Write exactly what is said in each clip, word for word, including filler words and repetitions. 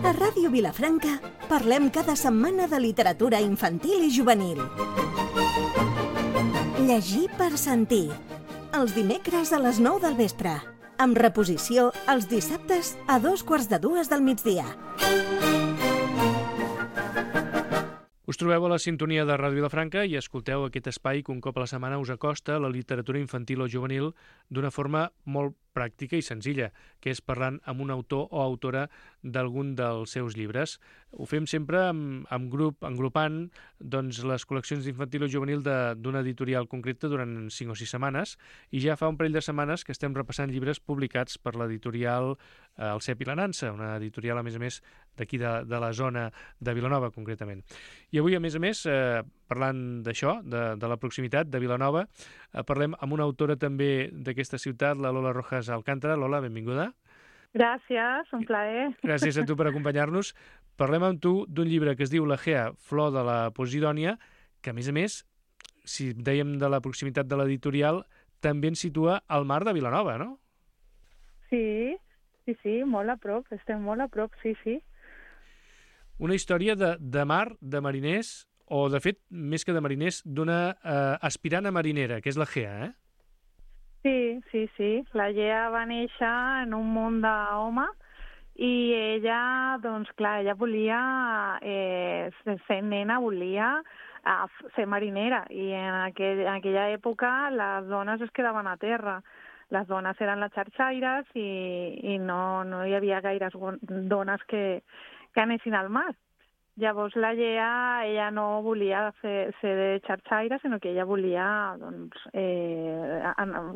A Ràdio Vilafranca parlem cada setmana de literatura infantil i juvenil. Llegir per sentir. Els dimecres a les nou del vespre. Amb reposició els dissabtes a dos quarts de dues del migdia. Us trobeu a la sintonia de Ràdio Vilafranca i escolteu aquest espai que un cop a la setmana us acosta la literatura infantil o juvenil d'una forma molt pràctica i senzilla, que és parlant amb un autor o autora d'algun dels seus llibres. Ho fem sempre amb, amb grup, engrupant doncs, les col·leccions d'infantil o juvenil d'una editorial concreta durant cinc o sis setmanes, i ja fa un parell de setmanes que estem repassant llibres publicats per l'editorial eh, El Cep i la Nansa, una editorial, a més a més, d'aquí de, de la zona de Vilanova, concretament. I avui, a més a més, eh, parlant d'això, de, de la proximitat de Vilanova, eh, parlem amb una autora també d'aquesta ciutat, la Lola Rojas Alcántara. Lola, benvinguda. Gràcies, un plaer. Gràcies a tu per acompanyar-nos. Parlem amb tu d'un llibre que es diu L'Egea, flor de la Posidònia, que, a més a més, si dèiem de la proximitat de l'editorial, també ens situa al mar de Vilanova, no? Sí, sí, sí, molt a prop, estem molt a prop, sí, sí. Una història de, de mar, de mariners, o, de fet, més que de mariners, d'una eh, aspirant a marinera, que és l'Egea, eh? Sí, sí, sí. La Gea va néixer en un món d'home i ella, doncs clar, ella volia, eh, sent nena, volia eh, ser marinera, i en, aquell, en aquella època les dones es quedaven a terra. Les dones eren les xarxaires i, i no, no hi havia gaires dones que, que anessin al mar. Llavors la Gea, ella no volia fer, ser de xarxaire, sinó que ella volia doncs, eh,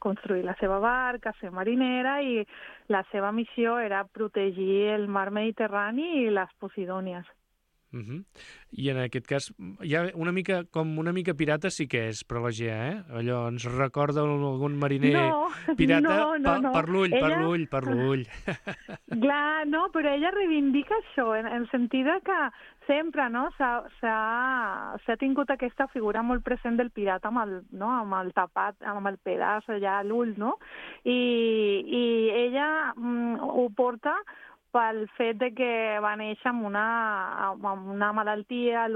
construir la seva barca, ser marinera, i la seva missió era protegir el mar Mediterrani i les Posidònies. Uh-huh. I en aquest cas, ja una mica, com una mica pirata sí que és, però la Gea, eh? Allò ens recorda algun mariner no, pirata no, no, per, no. per l'ull, ella... per l'ull, per l'ull. Clar, no, però ella reivindica això, en el sentit que sempre no, s'ha tingut aquesta figura molt present del pirata amb el, no, amb el tapat, amb el pedaç allà a l'ull, no? I, i ella mm, ho porta pel fet de que va néixer amb una, amb una malaltia a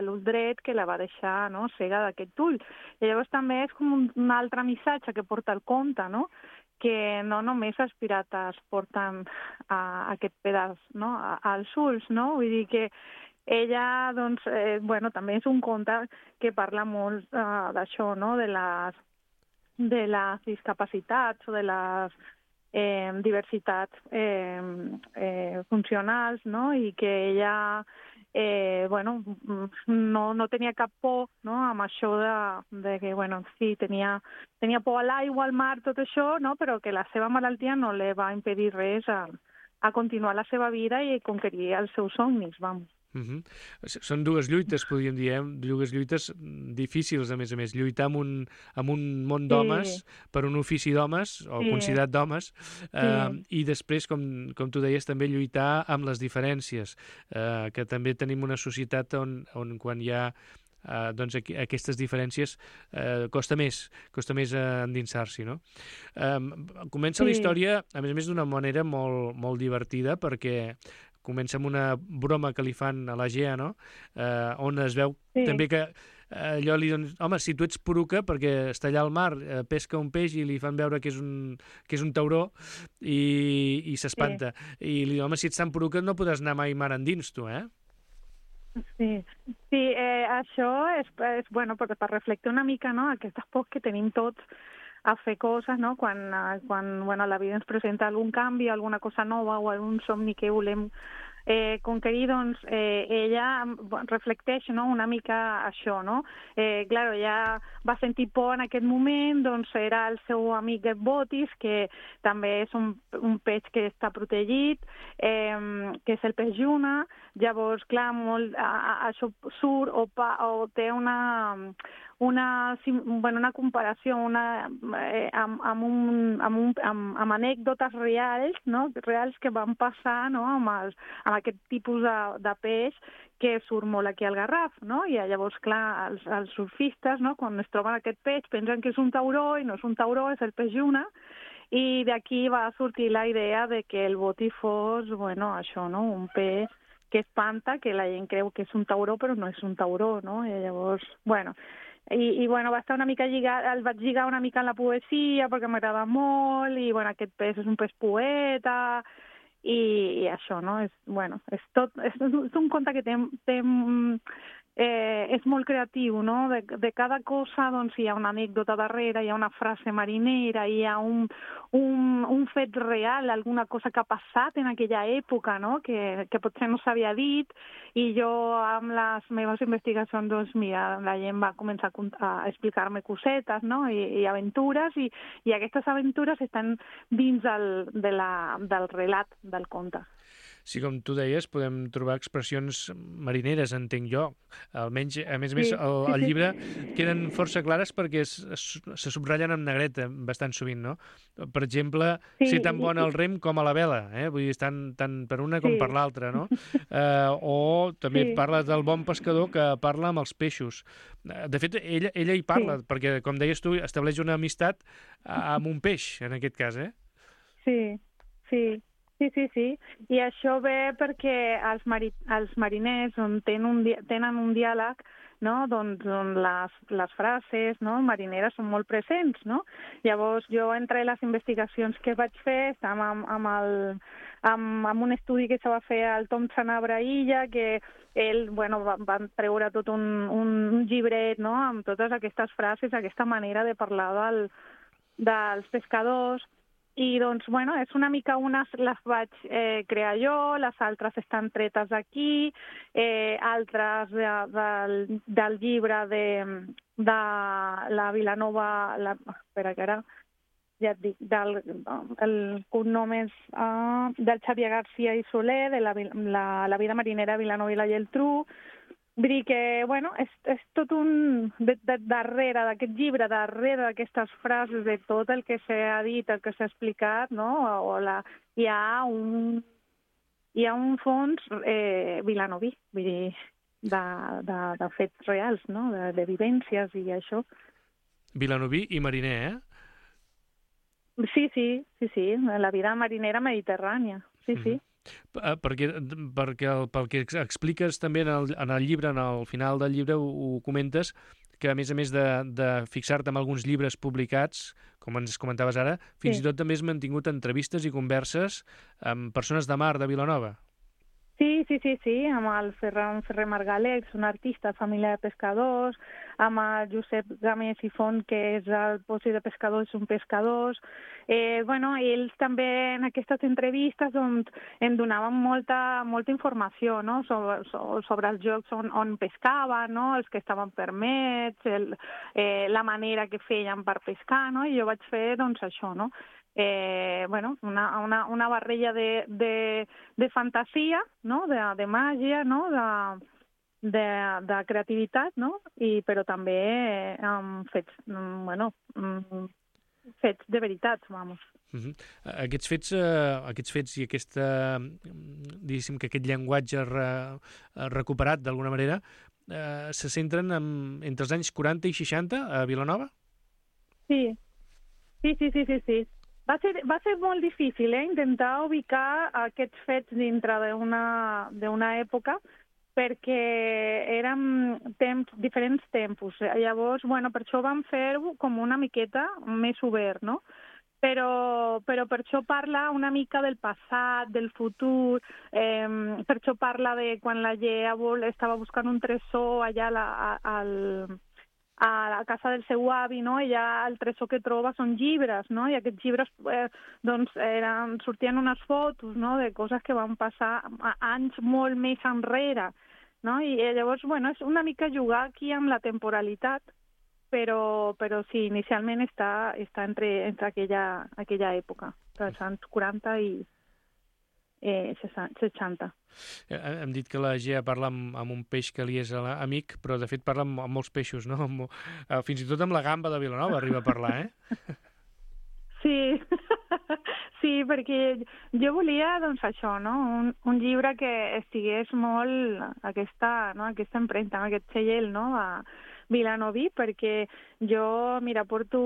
l'ull dret que la va deixar, no, cega d'aquest ull. I llavors també és com un, un altre missatge que porta el conte, no?, que no només els pirates porten a, a aquest pedaç, no?, a, als ulls, no? Vull dir que ella, doncs, eh, bueno, també és un conte que parla molt uh, d'això, no?, de les, de les discapacitats o de les Eh, diversitats eh, eh, funcionals, no? I que ella eh, bueno, no, no tenia cap por, no? Amb això de, de que, bueno, sí, tenia, tenia por a l'aigua, al mar, tot això, no? Però que la seva malaltia no li va impedir res a, a continuar la seva vida i conquerir els seus somnis, vamos. Uh-huh. Són dues lluites, podríem dir, eh? Dues lluites difícils, a més a més. Lluitar amb un, amb un món d'homes, sí, per un ofici d'homes, o sí, considerat d'homes, eh, sí, i després, com, com tu deies, també lluitar amb les diferències, eh, que també tenim una societat on, on quan hi ha Uh, doncs aqu aquestes diferències uh, costa més, costa més uh, endinsar-s'hi, no? Um, comença sí. la història, a més a més, d'una manera molt, molt divertida, perquè comença amb una broma que li fan a la Gea, no? Uh, on es veu sí. també que allò li donen, home, si tu ets poruca, perquè està allà al mar, eh, pesca un peix i li fan veure que és un, que és un tauró i, i s'espanta. Sí. I li diuen, home, si ets tan poruca no podràs anar mai mar endins, tu, eh? Sí, sí eh, això és, és bueno, per, per reflectir una mica, no?, aquestes pors que tenim tots a fer coses, no?, quan, quan bueno, la vida ens presenta algun canvi, alguna cosa nova o algun somni que volem eh, conquerir, doncs eh, ella reflecteix, no?, una mica això, no? Eh, clar, ella va sentir por en aquest moment, doncs era el seu amic Botis, que també és un, un peix que està protegit, eh, que és el peix lluna. Llavors, clar, molt, a, a, això surt o, pa, o té una... Una, bueno, una comparació una, eh, amb, amb, un, amb, un, amb, amb anècdotes reals, no?, reals que van passar, no?, amb, els, amb aquest tipus de, de peix que surt molt aquí al Garraf, no? I llavors, clar, els, els surfistes, no?, quan es troben aquest peix pensen que és un tauró i no és un tauró, és el peix lluna. i d'aquí va sortir la idea de que el boti fos, bueno, això, no?, un peix que espanta, que la gent creu que és un tauró, però no és un tauró, no? I llavors, bueno, i, i bueno, va estar una mica lligat, el vaig lligar una mica en la poesia perquè m'agrada molt, i bueno, aquest peix és un peix poeta, i, i això, no? És, bueno, és tot, és, és un conte que té, té eh, és molt creatiu, no? De, de cada cosa, doncs, hi ha una anècdota darrere, hi ha una frase marinera, hi ha un, un, un fet real, alguna cosa que ha passat en aquella època, no?, que, que potser no s'havia dit, i jo, amb les meves investigacions, doncs, mira, la gent va començar a, a explicar-me cosetes, no?, i, i aventures, i, i aquestes aventures estan dins el, de la, del relat del conte. Sí, com tu deies, podem trobar expressions marineres, entenc jo. Almenys, a més a més, el, el llibre queden força clares perquè es, es, se subratllen amb negreta bastant sovint, no? Per exemple, sí, ser tan bona al rem com a la vela, eh? Vull dir, tant, tant per una com sí. per l'altra, no? Eh, o també sí. parla del bon pescador que parla amb els peixos. De fet, ella, ella hi parla, sí. perquè, com deies tu, estableix una amistat amb un peix, en aquest cas, eh? Sí, sí. Sí, sí, sí. I això ve perquè els, mari els mariners on tenen un, di tenen un diàleg, no?, doncs, on les, les frases, no?, marineres són molt presents, no? Llavors, jo, entre les investigacions que vaig fer, estàvem amb, amb, el, amb, amb un estudi que se va fer al Tom Sanabra Illa, que ell, bueno, va, va treure tot un, un, un llibret, no?, amb totes aquestes frases, aquesta manera de parlar del, dels pescadors. I, doncs, bueno, és una mica unes les vaig eh, crear jo, les altres estan tretes d'aquí, eh, altres de, del, del llibre de, de la Vilanova, la, espera que ara ja et dic, del, el cognom és uh, del Xavier García i Soler, de la, la, la vida marinera de Vilanova i la Geltrú. Vull dir que, bueno, és, és tot un... De, de, darrere d'aquest llibre, darrere d'aquestes frases, de tot el que s'ha dit, el que s'ha explicat, no?, o la, hi ha un, hi ha un fons eh, vilanoví, vull dir, de, de, de fets reals, no?, de, de vivències i això. Vilanoví i mariner, eh? Sí, sí, sí, sí, la vida marinera mediterrània, sí, mm-hmm. sí. Perquè, perquè el, pel que expliques també en el, en el llibre, en el final del llibre ho, ho comentes, que a més a més de, de fixar-te en alguns llibres publicats, com ens comentaves ara, fins sí. i tot també has mantingut entrevistes i converses amb persones de mar de Vilanova. Sí, sí, sí, sí, amb el Ferran Ferrer Margaleix, un artista, família de pescadors, amb el Josep Gamés i Font, que és el posi de pescadors, un pescadors. Eh, bueno, ells també en aquestes entrevistes doncs, em donaven molta, molta informació, no?, sobre, sobre els jocs on, on pescaven, no?, els que estaven permets, el, eh, la manera que feien per pescar, no?, i jo vaig fer doncs, això, no?, Eh, bueno, una, una, una barrella de, de, de fantasia, no?, de, de màgia, no?, de, de, de creativitat, no?, I, però també eh, amb fets, bueno, fets de veritat, vamos. Uh-huh. Aquests fets, eh, aquests fets i aquesta, diguéssim que aquest llenguatge re, recuperat d'alguna manera, eh, se centren en, entre els anys quaranta i seixanta a Vilanova? Sí, sí, sí, sí, sí, sí. Va ser, va ser molt difícil, eh, intentar ubicar aquests fets dintre d'una d'una època, perquè eren temps, diferents tempos. Llavors, bueno, per això vam fer-ho com una miqueta més obert, no? Però, però per això parla una mica del passat, del futur, eh, per això parla de quan la Llea estava buscant un tresor allà a la, a, al... a la casa del seu avi, no?, i ja el tresor que troba són llibres, no?, i aquests llibres eh, doncs, eren, sortien unes fotos, no?, de coses que van passar anys molt més enrere, no?, i llavors, bueno, és una mica jugar aquí amb la temporalitat, però, però sí, inicialment està, està entre, entre aquella, aquella època, dels anys quaranta i eh, seixanta. Hem dit que la Gea parla amb, amb un peix que li és amic, però de fet parla amb, amb molts peixos, no? Amb, fins i tot amb la gamba de Vilanova arriba a parlar, eh? Sí, sí, perquè jo volia, doncs, això, no? Un, un llibre que estigués molt aquesta, no? aquesta empremta, aquest segell, no?, de, Vilanoví, perquè jo, mira, porto,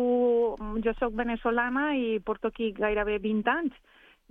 jo soc venezolana i porto aquí gairebé vint anys.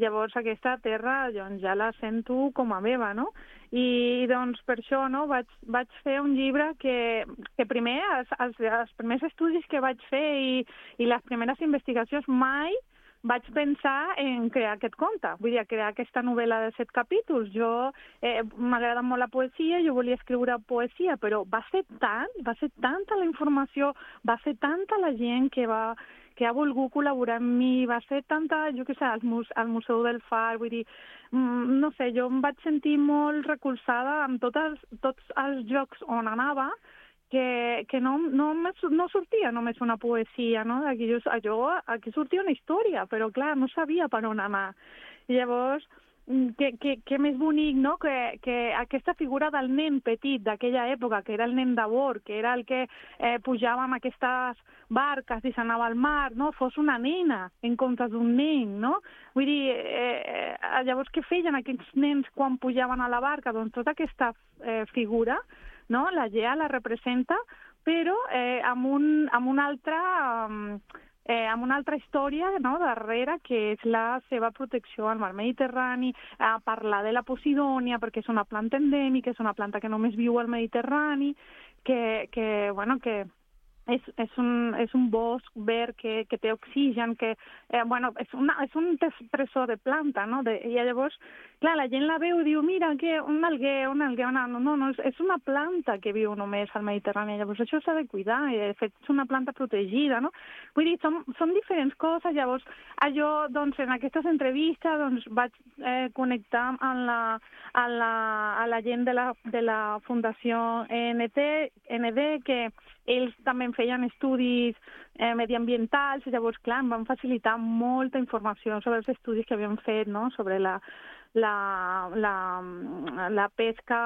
Llavors aquesta terra doncs, ja la sento com a meva, no? I doncs per això no, vaig, vaig fer un llibre que, que primer, els, els, els primers estudis que vaig fer i, i les primeres investigacions mai vaig pensar en crear aquest conte, vull dir, crear aquesta novel·la de set capítols. Jo eh, m'agrada molt la poesia, jo volia escriure poesia, però va ser tant, va ser tanta la informació, va ser tanta la gent que va que ha volgut col·laborar amb mi, va ser tanta, jo què sé, al, muse, al Museu del Far, vull dir, mm, no sé, jo em vaig sentir molt recolzada amb totes, tots els llocs on anava, que, que no, no, no sortia només una poesia, no? Aquí, jo, jo, aquí sortia una història, però clar, no sabia per on anar. I llavors, que, que, que més bonic, no?, que, que aquesta figura del nen petit d'aquella època, que era el nen de bord, que era el que eh, pujava amb aquestes barques i s'anava al mar, no?, fos una nena en comptes d'un nen, no? Vull dir, eh, llavors què feien aquells nens quan pujaven a la barca? Doncs tota aquesta eh, figura, no?, la Gea la representa, però eh, amb, un, amb una altra... Um, Eh, amb una altra història, no?, darrere, que és la seva protecció al mar Mediterrani, a parlar de la Posidònia, perquè és una planta endèmica, és una planta que només viu al Mediterrani, que, que bueno, que és, és, un, és un bosc verd que, que té oxigen, que, eh, bueno, és, una, és un tresor de planta, no?, de, i llavors, clar, la gent la veu i diu, mira, que un alguer, un alguer, no, no, no, és una planta que viu només al Mediterrani, llavors això s'ha de cuidar, i de fet és una planta protegida, no? Vull dir, són, són diferents coses, llavors, jo, doncs, en aquestes entrevistes, doncs, vaig eh, connectar amb la, a la, a la gent de la, de la Fundació N D, que ells també feien estudis eh, mediambientals, llavors, clar, em van facilitar molta informació sobre els estudis que havien fet, no?, sobre la, la, la, la pesca,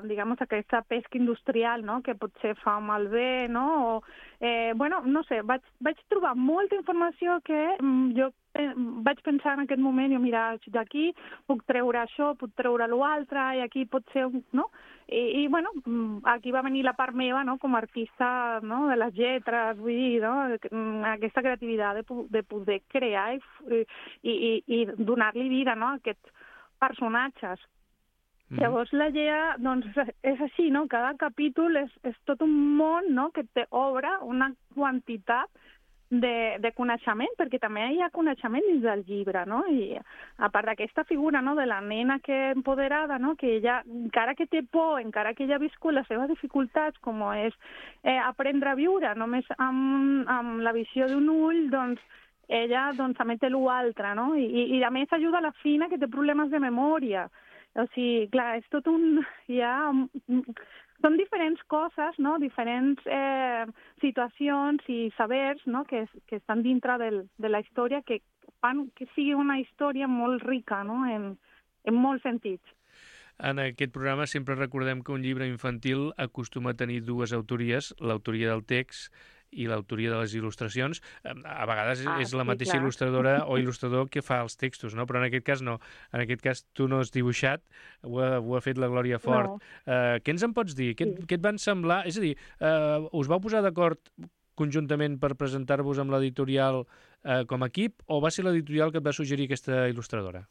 diguem, aquesta pesca industrial, no?, que potser fa malbé, no?, o, eh, bueno, no sé, vaig, vaig trobar molta informació que mm, jo eh, vaig pensar en aquest moment, jo, mira, d'aquí puc treure això, puc treure l'altre, i aquí pot ser, no?, I, i bueno, aquí va venir la part meva, no?, com a artista, no?, de les lletres, vull dir, no?, aquesta creativitat de, de poder crear i, i, i, i donar-li vida, no?, a aquests personatges. Mm. Llavors la Gea, doncs, és així, no?, cada capítol és, és tot un món, no?, que t'obre una quantitat de, de coneixement, perquè també hi ha coneixement dins del llibre, no?, i a part d'aquesta figura, no?, de la nena que empoderada, no?, que ella, encara que té por, encara que ella ha viscut les seves dificultats, com és eh, aprendre a viure només amb, amb la visió d'un ull, doncs, ella doncs, també té l'altre, no? I, i a més ajuda a la Fina, que té problemes de memòria. O sigui, clar, és tot un... Ja, són diferents coses, no?, diferents eh, situacions i sabers, no?, que, que estan dintre del, de la història, que fan que sigui una història molt rica, no?, en, en molts sentits. En aquest programa sempre recordem que un llibre infantil acostuma a tenir dues autories, l'autoria del text i l'autoria de les il·lustracions. A vegades ah, és la sí, mateixa clar. il·lustradora o il·lustrador que fa els textos, no? Però en aquest cas no. En aquest cas tu no has dibuixat, ho ha, ho ha fet la Glòria Fort. No. Uh, què ens en pots dir? Què, sí. què et van semblar? És a dir, uh, us vau posar d'acord conjuntament per presentar-vos amb l'editorial uh, com a equip, o va ser l'editorial que et va suggerir aquesta il·lustradora?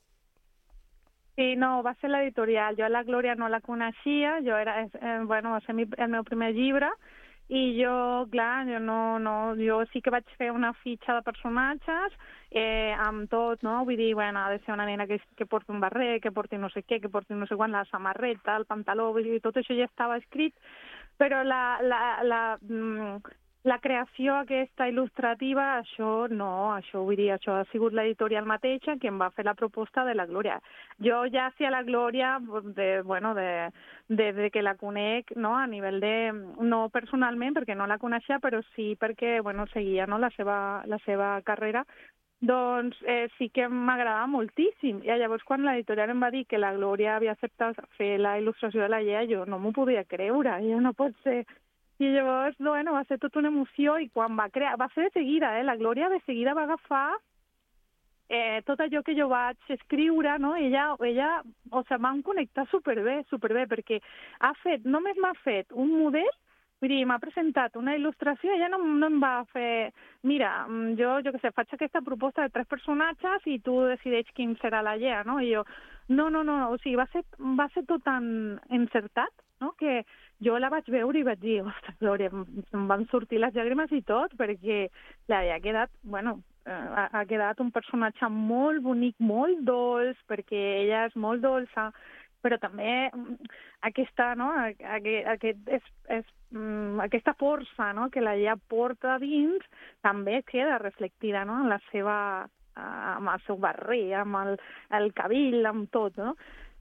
Sí, no, va ser l'editorial. Jo la Glòria no la coneixia, jo era, eh, bueno, va ser el meu primer llibre, i jo, clar, jo no, no, jo sí que vaig fer una fitxa de personatges eh, amb tot, no? Vull dir, bueno, ha de ser una nena que, que porti un barret, que porti no sé què, que porti no sé quan, la samarreta, el pantaló, vull dir, tot això ja estava escrit, però la, la, la, la creació aquesta il·lustrativa, això no, això vull dir, això ha sigut l'editorial mateixa que em va fer la proposta de la Glòria. Jo ja hacía la Glòria, de, bueno, de, de, de que la conec, no, a nivell de, no personalment, perquè no la coneixia, però sí perquè, bueno, seguia, no, la seva, la seva carrera, doncs eh, sí que m'agradava moltíssim. I llavors quan l'editorial em va dir que la Glòria havia acceptat fer la il·lustració de la Gea, jo no m'ho podia creure, jo no pot ser... I llavors, bueno, va ser tota una emoció, i quan va crear, va ser de seguida, eh? La Glòria de seguida va agafar eh, tot allò que jo vaig escriure, no? Ella, ella o sigui, vam connectar superbé, superbé, perquè ha fet, només m'ha fet un model Vull dir, m'ha presentat una il·lustració, ella no, no em va fer... Mira, jo, jo què sé, faig aquesta proposta de tres personatges i tu decideix quin serà la Gea, no? I jo, no, no, no, o sigui, va ser, va ser tot tan encertat, no?, que jo la vaig veure i vaig dir, ostres, Glòria, em van sortir les llàgrimes i tot, perquè la Gea ha quedat, bueno, ha, ha quedat un personatge molt bonic, molt dolç, perquè ella és molt dolça, però també aquesta, no, aquest, aquest és, és, aquesta força, no, que la Gea porta dins també queda reflectida, no, en la seva, amb el seu barrer, amb el, el cabell, amb tot, no?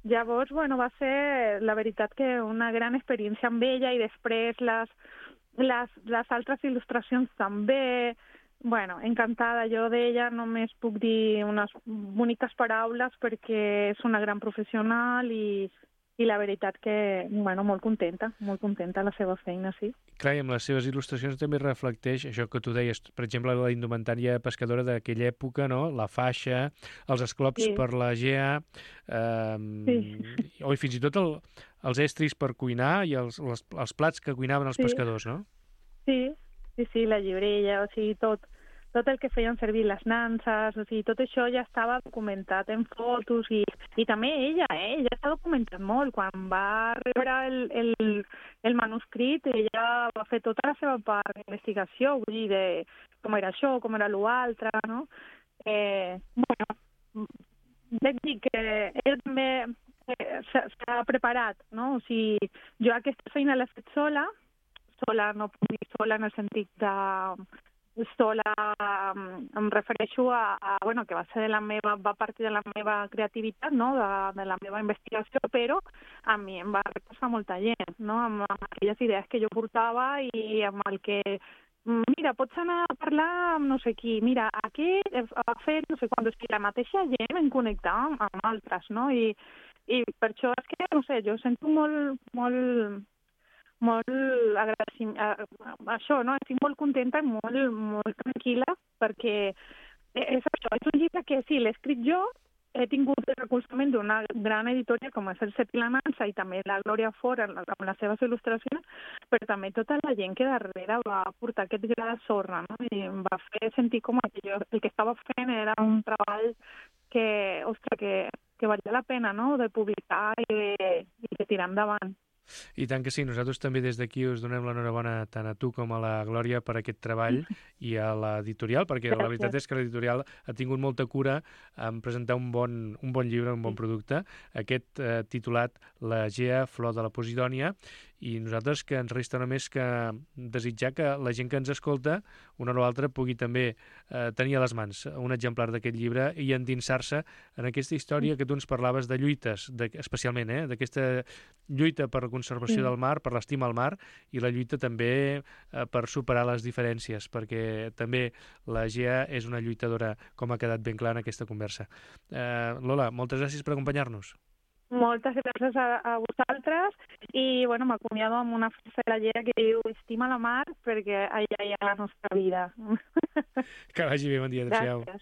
Llavors, bueno, va ser la veritat que una gran experiència amb ella i després les, les, les altres il·lustracions també. Bueno, encantada. Jo d'ella només puc dir unes boniques paraules perquè és una gran professional i, i la veritat que, bueno, molt contenta, molt contenta de la seva feina, sí. Clar, i amb les seves il·lustracions també reflecteix això que tu deies, per exemple, la indumentària pescadora d'aquella època, no? La faixa, els esclops sí. per la Gea, eh, sí. o i fins i tot el, els estris per cuinar i els, els, els plats que cuinaven els sí. pescadors, no? Sí, sí, sí, la llibrella, o sigui, tot. Tot el que feien servir les nanses, o sigui, tot això ja estava documentat en fotos i, i també ella, eh? Ella s'ha documentat molt. Quan va rebre el, el, el manuscrit, ella va fer tota la seva part d'investigació, vull dir, de com era això, com era l'altre, no? Eh, bueno, vaig dir que ell també eh, s'ha preparat, no? O sigui, jo aquesta feina l'he fet sola, sola, no puc dir sola en el sentit de... sola, em refereixo a, a, bueno, que va ser de la meva, va partir de la meva creativitat, no?, de, de la meva investigació, però a mi em va reposar molta gent, no?, amb, amb aquelles idees que jo portava i amb el que, mira, pots anar a parlar amb no sé qui, mira, aquest ha fet no sé quan, o sigui, la mateixa gent em connectava amb, amb altres, no?, i, i per això és que, no sé, jo sento molt, molt... molt agradeciment, això, no? Estic molt contenta i molt, molt tranquil·la perquè és això, és un llibre que sí, l'he escrit jo, he tingut el recolzament d'una gran editorial com és el Set i la Nansa i també la Glòria Fora amb les seves il·lustracions, però també tota la gent que darrere va portar aquest gra de sorra, no? I em va fer sentir com que jo, el que estava fent era un treball que, ostres, que, que valia la pena, no?, de publicar i de, i de tirar endavant. I tant que sí, nosaltres també des d'aquí us donem l'enhorabona tant a tu com a la Glòria per aquest treball i a l'editorial, perquè Gràcies. La veritat és que l'editorial ha tingut molta cura en presentar un bon, un bon llibre, un bon producte, aquest eh, titulat La Gea, flor de la Posidònia, i nosaltres que ens resta només que desitjar que la gent que ens escolta, una o l'altra, pugui també eh, tenir a les mans un exemplar d'aquest llibre i endinsar-se en aquesta història que tu ens parlaves de lluites, de, especialment, eh, d'aquesta lluita per la conservació sí. del mar, per l'estima al mar, i la lluita també eh, per superar les diferències, perquè també la Gea és una lluitadora, com ha quedat ben clar en aquesta conversa. Eh, Lola, moltes gràcies per acompanyar-nos. Moltes gràcies a, a vosaltres i bueno, m'acomiado amb una frase de la Gea que diu estima la mar perquè allà hi ha la nostra vida. Que vagi bé, bon dia, adéu-siau. Gràcies.